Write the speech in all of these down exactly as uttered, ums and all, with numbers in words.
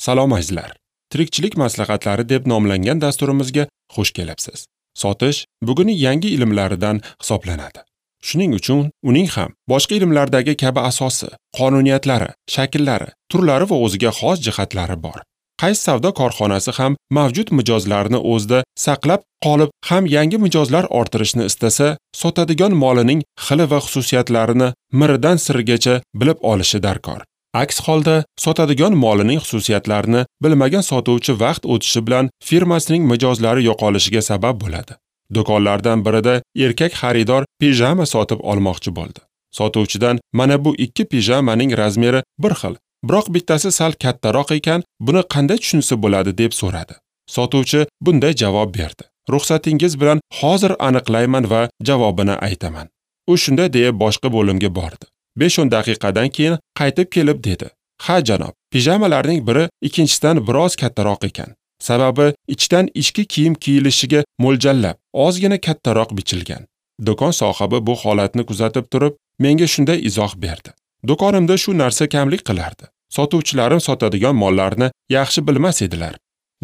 Salom azizlar. Tirikchilik maslahatlari deb nomlangan dasturimizga xush kelibsiz. Sotish bugungi yangi ilmlaridan hisoblanadi. Shuning uchun uning ham boshqa ilmlardagi kabi asosi, qonuniyatlari, shakllari, turlari va o'ziga xos jihatlari bor. Qaysi savdo korxonasi ham mavjud mijozlarni o'zida saqlab qolib, ham yangi mijozlar orttirishni istasa, sotadigan molining xili va xususiyatlarini miridan sirigacha bilib olishi darkor. Aks holda sotadigan molining xususiyatlarini bilmagan sotuvchi vaqt o'tishi bilan firmasining mijozlari yo'qolishiga sabab bo'ladi. Do'konlardan birida erkak xaridor pijama sotib olmoqchi bo'ldi. Sotuvchidan mana bu ikki pijamaning razmeri bir xil, biroq bittasi sal kattaroq ekan, buni qanday tushunsa bo'ladi deb so'radi. Sotuvchi bunday javob berdi: "Ruxsatingiz bilan hozir aniqlayman va javobini aytaman." U shunday deya boshqa bo'limga bordi. besh o'n daqiqadan keyin qaytib kelib dedi: "Ha janob, pijamalarning biri ikkinchisidan biroz kattaroq ekan. Sababi ichdan ichki kiyim kiyilishiga mo'ljallab, ozgina kattaroq bichilgan." Do'kon sohibi bu holatni kuzatib turib, menga shunday izoh berdi: "Do'konimda shu narsa kamlik qilardi. Sotuvchilarim sotadigan mollarni yaxshi bilmas edilar."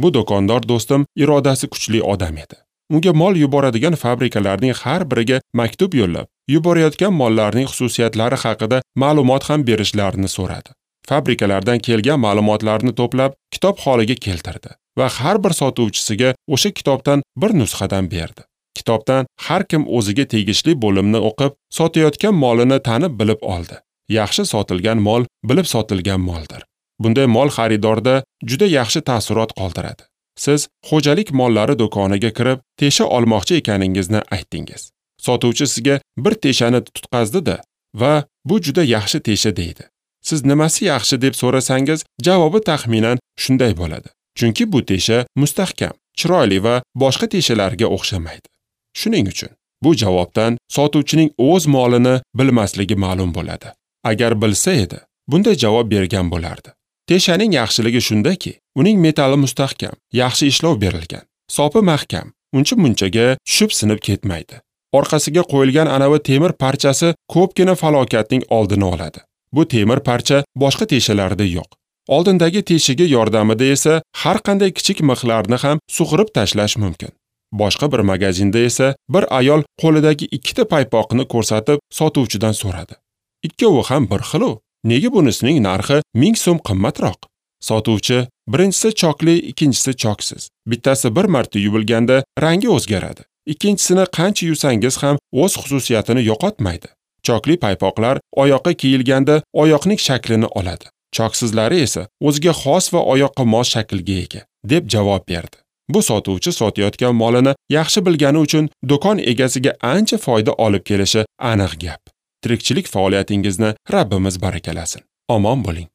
Bu do'kondor do'stim irodasi kuchli odam edi. Unga mol yuboradigan fabrikalarning har biriga maktub yo'llab, yuborayotgan mollarning xususiyatlari haqida ma'lumot ham berishlarini so'radi. Fabrikalardan kelgan ma'lumotlarni to'plab, kitob holiga keltirdi va har bir sotuvchisiga o'sha kitobdan bir nusxadan berdi. Kitobdan har kim o'ziga tegishli bo'limni o'qib, sotayotgan molini tanib bilib oldi. Yaxshi sotilgan mol bilib sotilgan moldir. Bunday mol xaridorda juda yaxshi taassurot qoldiradi. Siz xo'jalik mollari do'koniga kirib, tesha olmoqchi ekaningizni aytdingiz. Sotuvchi sizga bir teshani tutqazdi-da va bu juda yaxshi tesha deydi. Siz nimasi yaxshi deb so'rasangiz, javobi taxminan shunday bo'ladi: chunki bu tesha mustahkam, chiroyli va boshqa teshalarga o'xshamaydi. Shuning uchun bu javobdan sotuvchining o'z molini bilmasligi ma'lum bo'ladi. Agar bilsa edi, bunday javob bergan bo'lardi. Teshaning yaxshiligi shundaki, uning metali mustahkam, yaxshi ishlov berilgan, sopi mahkam, uncha-munchaga tushib sinib ketmaydi. Orqasiga qo'yilgan anavi temir parchasi ko'pgina falokatning oldini oladi. Bu temir parcha boshqa teshalarda yo'q. Oldindagi teshigi yordamida esa har qanday kichik mixlarni ham sug'urib tashlash mumkin. Boshqa bir magazinda esa bir ayol qo'lidagi ikkita paypoqni ko'rsatib sotuvchidan so'radi: "Ikkovi ham bir xil-u, nega bunisining narxi ming so'm qimmatroq?" Sotuvchi: "Birinchisi chokli, ikkinchisi choksiz. Bittasi bir marta yuvilganda rangi o'zgaradi. Ikkinchisini qancha yuvsangiz ham o'z xususiyatini yo'qotmaydi. Chokli paypoqlar oyoqqa kiyilganda oyoqning shaklini oladi. Choksizlari esa o'ziga xos va oyoqqa mos shaklga ega", deb javob berdi. Bu sotuvchi sotayotgan molini yaxshi bilgani uchun do'kon egasiga ancha foyda olib kelishi aniq gap. Tirikchilik faoliyatingizni Rabbimiz barakalasin. Omon bo'ling.